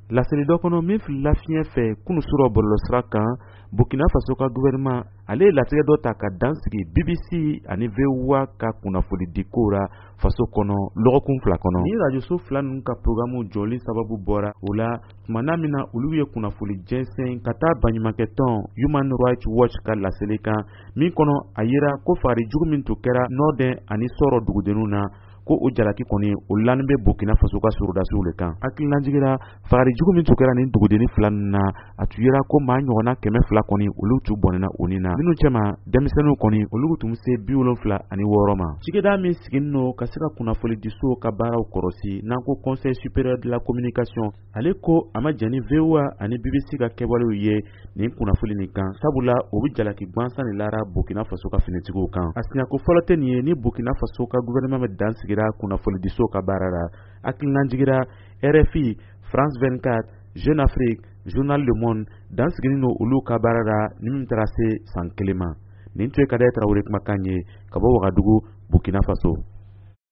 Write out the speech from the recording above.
Laseli dɔ kɔnɔ min filila fiɲɛ fɛ kunu surɔ bɔlɔlɔsira kan, Burkina Faso ka gouvernement, ale ye latigɛ dɔ ta ka dan sigi BBC ani VOA ka kunnafonidiko ra faso kɔnɔ lɔgɔkun 2 kɔnɔ. Ni rajoso fila ninnu ka programu jɔli sababu bɔra o la tuma na min na olu ye kunnafoni jɛnsɛn ka taa baɲumankɛtɔn Human Rights Watch ka laseli kan, min kɔnɔ a yira ko fagari jugu min tun kɛra Nɔdɛn ani Sɔrɔ dugudenninw na, ko o jalaki kɔni o lani bɛ Burkina Faso ka sorodasiw le kan. Hakililajigin ra, fagari jugu min tun kɛra nin dugudenni fila ninnu na, a tun yira ko maa ɲɔgɔnna 200 kɔni, olu tun bɔnɛna u ni na, minnu cɛma denmisɛnninw kɔni, olu tun bɛ se 76 ma. Cikɛda min siginin don ka se ka kunnafonidisow ka baaraw kɔrɔsi, n'an ko Conseil supérieur de la communication, ale ko a ma jɛn ni VOA ani BBC ka kɛwalew ye nin kunnafoni nin kan, sabula o bɛ jalaki gwansan de lara Burkina Faso ka finitigiw kan. A siɲɛko fɔlɔ tɛ nin ye ni Burkina Faso ka gouvernement bɛ dan sigira kunnafonidisow ka baara la. Hakililajigin ra, RFI, France 24, Jeune Afrique, Journal Le Monde, dan siginin don olu ka baara la ni min taara se san 1 ma. Nin tun ye Kadɛ Tarawele kumakan ye ka bɔ Wagadugu, Burkina Faso.